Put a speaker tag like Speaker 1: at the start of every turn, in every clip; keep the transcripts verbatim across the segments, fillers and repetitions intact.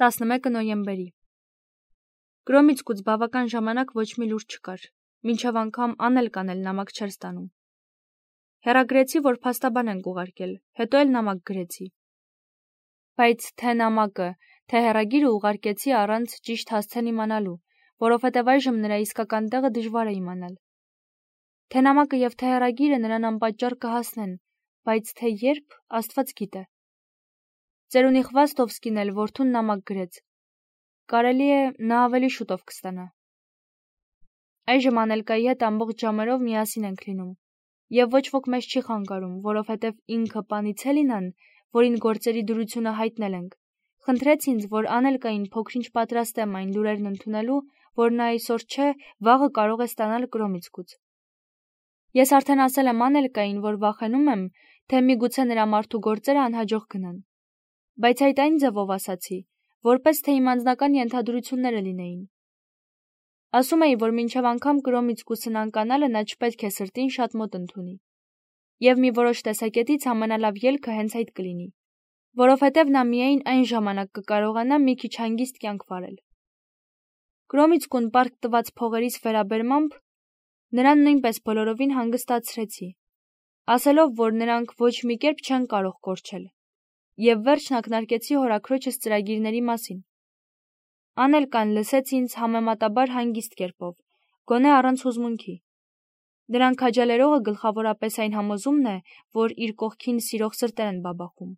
Speaker 1: տասնմեկը նոյեմբերի Գրոմիցկուց բավական ժամանակ ոչ մի լուր չկար, մինչև անգամ Անելկան էլ նամակ չէր ստանում։ Հեռագրեցի, որ փաստաբան ենք ուղարկել, հետո էլ նամակ գրեցի։ Բայց թե նամակը, թե հեռագիրը ուղարկեցի առանց ճիշտ հասցեն իմանալու, որովհետև այժմ նրա իսկական տեղը դժվար է իմանալ։ Թե նամակը եւ թե հեռագիրը նրան անպատճառ կհասնեն, բայց թե երբ, Աստված գիտե։ Ծերունի Խվաստովսկին էլ որդուն նամակ գրեց։ Կարելի է նա ավելի շուտով կստանա։ Այժմ Անելկայի հետ ամբողջ ժամերով միասին ենք լինում, եւ ոչ ոք մեզ չի խանգարում, որովհետեւ ինքը պանից Հելինան, որին գործերի դրությունը հայտնել ենք, խնդրեց ինձ, որ Անելկային փոքրինչ պատրաստեմ այն լուրերն ընդունելու, որ նա այսօր չէ, վաղը կարող է ստանալ Կրոմիցկուց։ Ես արդեն ասել եմ Անելկային, որ վախենում եմ, թե միգուցե նրա մարդու գործերը անհաջող գնան։ Բայց այդ այն ձևով ասացի, որպես թե իմ անձնական ենթադրությունները լինեին։ Ասում էի, որ մինչև անգամ Կրոմիցկուսն անկանալը նա չպետք է սրտին շատ մոտ ընդունի։ Եվ մի որոշ տեսակետից ամենալավ ելքը հենց այդ կլինի, որովհետև նա միայն այն ժամանակ կկարողանա մի քիչ հանգիստ կյանք վարել։ Կրոմիցկուն պարտք տված փողերից վերաբերմամբ նրան նույնպես բոլորովին հանգստացրեցի, ասելով, որ նրանք ոչ մի կերպ չեն կարող կորչել, եւ վերջն ակնարկեցի հորաքրոջս ծրագիրների մասին։ Անելկան լսեց ինձ համեմատաբար հանգիստ կերպով, գոնե առանց հուզմունքի։ Նրան քաջալերողը գլխավորապես այն համոզումն է, որ իր կողքին սիրող սրտեր են բաբախում,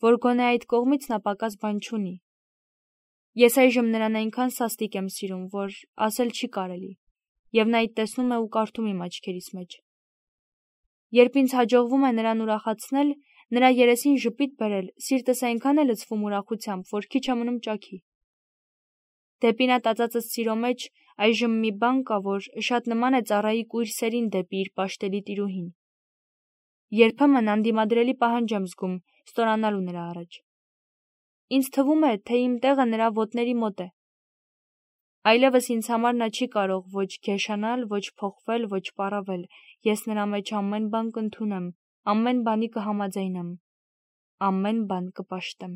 Speaker 1: որ գոնե այդ կողմից նա պակաս բան չունի։ Ես այժմ նրան այնքան սաստիկ եմ սիրում, որ ասել չի կարելի, եւ նա այդ տեսնում է ու կարդում իմ աչքերիս մեջ։ Երբ ինձ հաջողվում է նրան ուրախացնել, նրա երեսին ժպիտ բերել, սիրտս այնքան է լցվում ուրախությամբ, որ քիչ է մնում ճաքի։ Դեպի նա տածածս սիրո մեջ այժմ մի բան կա, որ շատ նման է ծառայի կույր սերին դեպի իր պաշտելի տիրուհին։ Երբեմն անդիմադրելի պահանջ եմ զգում ստորանալու նրա առաջ։ Ինձ թվում է, թե իմ տեղը նրա ոտների մոտ է։ Այլևս ինձ համար նա չի կարող ոչ գեշանալ, ոչ փոխվել, ոչ պառավել։ Ես նրա մեջ ամեն բան կընդունեմ, ամեն բանի կհամաձայնեմ, ամեն բան կպաշտեմ։